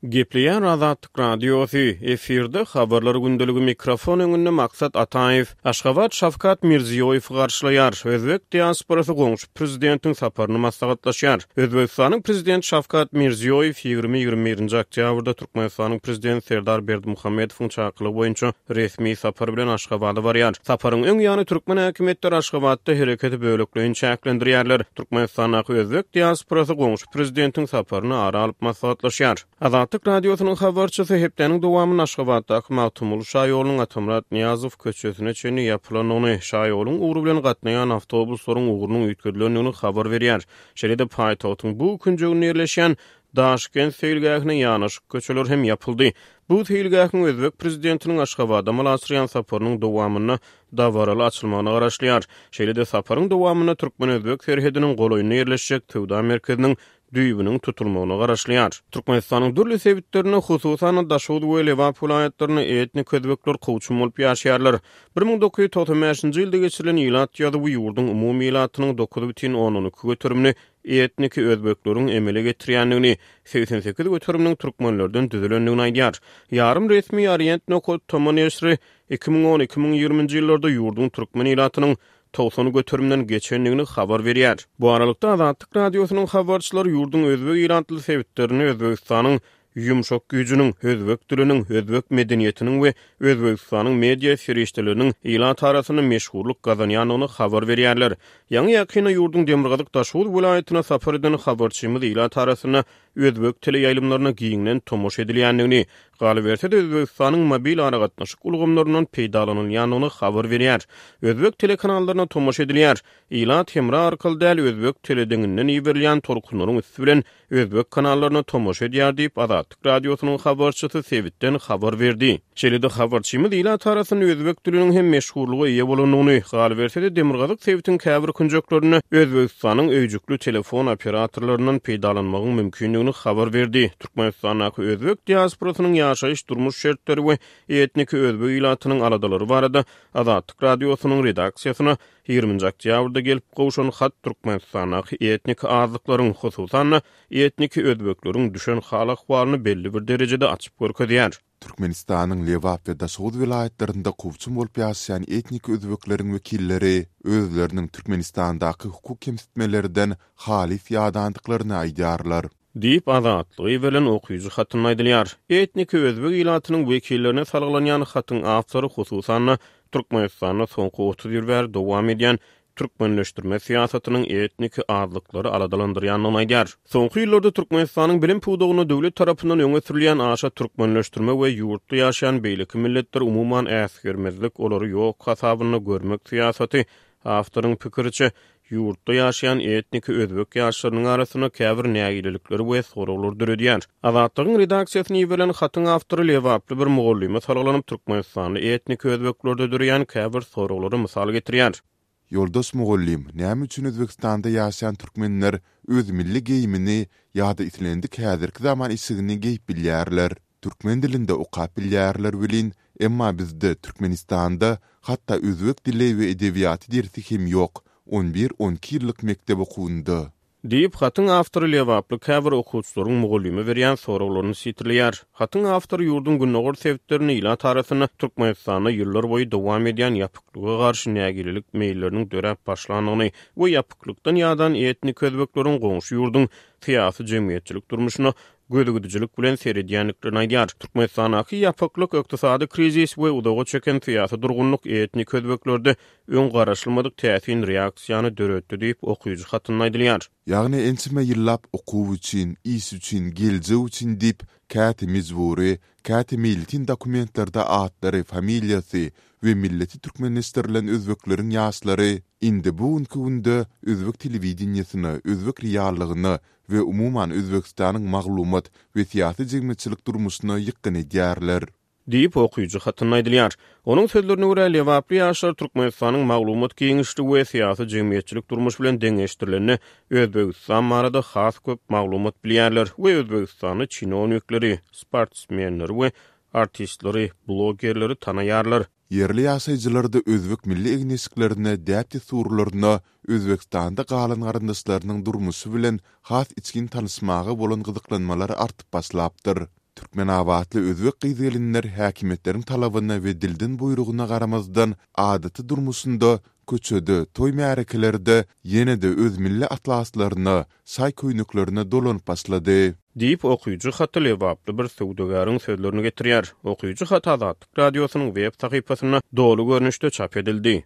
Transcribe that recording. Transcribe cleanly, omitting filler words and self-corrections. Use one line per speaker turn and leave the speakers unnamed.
Gepleýär Azatlyk Radiosy, efirde Habarlar gündeligi mikrofon öňünde Maksat Ataýew. Aşgabat Şawkat Mirziýoýewi garşylaýar. Özbek diasporasy goňşy prezidentiň saparyny maslahatlaşýar. Özbegistanyň prezidenti Şawkat Mirziýoýew ýigrimi-ýigrimi birinji oktýabrda Türkmenistanyň prezidenti Serdar Berdimuhamedowyň çakylygy boýunça resmi sapar bilen Aşgabada barýar. Saparyň öň ýany türkmen häkimiýetleri Aşgabatda hereketi bölekleýin çäklendirýärler. Türkmenistandaky özbek diasporasy goňşy prezidentiň saparyny ara alyp maslahatlaşýar. Azatlyk Radiosynyň habarçysy hepdäniň dowamynda Aşgabatdaky Magtymguly şaýolunyň Atamyrat Nyýazow köçesine çenli ýapylandygyny, şaýoluň ugry bilen gatnaýan awtobuslaryň ugrunyň üýtgedilendigini habar berýär. Şeýle-de paýtagtyň bu künjeginde ýerleşýän Daşkent seýilgähine ýanaşyk köçeler hem ýapyldy. Bu seýilgähiň özbek prezidentiniň Aşgabada amala aşyrýan saparynyň dowamynda dabaraly açylmagyna garaşylýar. Şeýle-de saparyň dowamynda türkmen-özbek serhediniň golaýynda ýerleşjek söwda merkeziniň düýbüniň tutulmagyna garaşylýar. Türkmenistanyň dürli sebitlerinde, hususan-da, Daşoguz we Lebap welaýatlarynda etnik özbekler kowçum bolup ýaşaýarlar. 1995-nji ýylda geçirilen ilat ýazuwy ýurduň umumy ilatynyň 9,2 göterimini etniki özbekleriň emele getirýändigini, 88 göteriminiň türkmenlerden düzülendigini aýdýar. Ýarym resmi Orient nokat tm neşiri 2010-2020-nji ýyllarda ýurduň türkmen ilatynyň 90 göterimden geçendigini habar berýär. Bu aralykda, Azatlyk Radiosynyň habarçylary ýurduň özbek ilatly sebitlerinde Özbegistanyň ýumşak güýjüniň, özbek diliniň, özbek medeniýetiniň we Özbegistanyň media serişdeleriniň ilat arasynda meşhurlyk gazanýandygyny habar berýärler. Ýaňy-ýakynda ýurduň demirgazyk Daşoguz welaýatyna sapar eden habarçymyz ilat arasynda özbek teleýaýlymlaryna giňden tomaşa edilýändigini, galyberse-de Özbegistanyň mobil aragatnaşyk ulgamlaryndan peýdalanylýandygyny habar berýär. Özbek telekanallaryna tomaşa edilýär. Ilat hemra arkaly däl, özbek teledeňinden iberilýän tolkunlaryň üsti bilen özbek kanallaryna tomaşa edýär diýip, Azatlyk Radiosynyň habarçysy sebitden habar berdi. Şeýle-de habarçymyz ilat arasynda özbek diliniň hem meşhurlyga eýe bolandygyny, galyberse-de demirgazyk sebitiň käbir künjeklerinde Özbegistanyň öýjükli telefon operatorlaryndan peýdalanmagyň mümkindigini habar berdi. Türkmenistandaky özbek diasporasynyň ýaşaýyş-durmuş şertleri we etniki özbek ilatynyň aladalary barada Azatlyk Radiosynyň redaksiýasyna Ýigriminji oktýabrda gelip gowşan hat Türkmenistandaky etniki azlyklaryň, hususan-da, etniki özbekleriň düşen hal-ahwalyny belli bir derejede açyp görkezýär.
Türkmenistanyň Lebap we Daşoguz welaýatlarynda kowçum bolup ýaşaýan etniki özbekleriň wekilleri özleriniň Türkmenistandaky hukuk kemsitmelerden halys ýadandyklaryny aýdýarlar.
Diýip, Azatlyga iberilen okyjy hatynda aýdylýar. Etniki özbek ilatynyň wekillerine salgylanýan hatyň awtory, hususan-da, Türkmenistanda soňky 30 ýyl bäri dowam edýän türkmenleşdirme syýasatynyň etniki azlyklary aladalandyrýandygyny aýdýar. Soňky ýyllarda Türkmenistanyň bilim pudagynda döwlet tarapyndan öňe sürülýän aşa türkmenleşdirme we ýurtda ýaşaýan beýleki milletleri umuman äsgermezlik, olary ýok hasabynda görmek syýasaty, awtoryň pikiriçe, Ýurtda ýaşaýan etniki özbek ýaşlarynyň arasynda käbir nägilelikleri we soraglary döredýär. Azatlygyň redaksiýasyna iberilen hatyň awtory lebaply bir mugallyma salgylanyp, türkmenistanly etniki özbeklerde döreýän käbir soraglary mysal getirýär.
Ýoldaş mugallym, näme üçin Özbegistanda ýaşaýan türkmenler öz milli geýimini ýa-da islendik häzirki zaman eşigini geýip bilýärler? Türkmen dilinde okap bilýärler welin, emma bizde Türkmenistanda hatda özbek dili we edebiýaty dersi hem ýok, on bir, on iki ýyllyk mekdep okuwynda.
Diýip, hatyň awtory lebaply käbir okuwçylaryň mugallyma berýän soraglaryny sitirleýär. Hatyň awtory ýurduň gündogar sebitlerinde ilat arasynda Türkmenistanda ýyllar boýu dowam edýän ýapyklyga garşy nägilelik meýilleriniň döräp başlandygyny we ýapyklykdan ýadan etnik özbekleriň goňşy ýurduň syýasy-jemgyýetçilik durmuşyna gözügidijilik bilen seredýändiklerini aýdýar. Türkmenistandaky ýapyklyk, ykdysady krizis we uzaga çeken syýasy durgunlyk etnik özbeklerde öň garaşylmadyk täsin reaksiýany döretdi diýip, okyjy hatynda aýdylýar.
Ýagny ençeme ýyllap okuw üçin, iş üçin, geljek üçin diýip, käte mejbury, käte meýletin dokumentlerde atlary, familiýasy we milleti türkmenleşdirilen özbekleriň ýaşlary indi bu günki günde özbek telewideniýesine, özbek reallygyna we umuman Özbegistanyň maglumat we syýasy-jemgyýetçilik durmuşyna ýykgyn edýärler.
Diýip, okyjy hatynda aýdylýar. Onuň sözlerine görä, lebaply ýaşlar Türkmenistanyň maglumat giňişligi we syýasy-jemgyýetçilik durmuşy bilen deňeşdirilende Özbegistan barada has köp maglumat bilýärler we özbegistanly çinownikleri, sportsmenleri we artistleri, blogerleri tanaýarlar.
Ýerli ýaşaýjylarda özbek milli egin-eşiklerine, däp-dessurlaryna, Özbegistanda galan garyndaşlarynyň durmuşy bilen has içgin tanyşmaga bolan gyzyklanmalar artyp başlapdyr. Türkmenabatly özbek gyz-gelinler häkimiýetleriň talabyna we dilden buýrugyna garamazdan, adaty durmuşynda, köçede, toý-märekelerde ýene-de öz milli atlaslaryna, şaý köýneklerine dolanyp başlady.
Diýip, okyjy haty lebaply bir söwdagäriň sözlerini getirýär. Okyjy haty Azatlyk Radiosynyň web sahypasynda doly görnüşde çap edildi.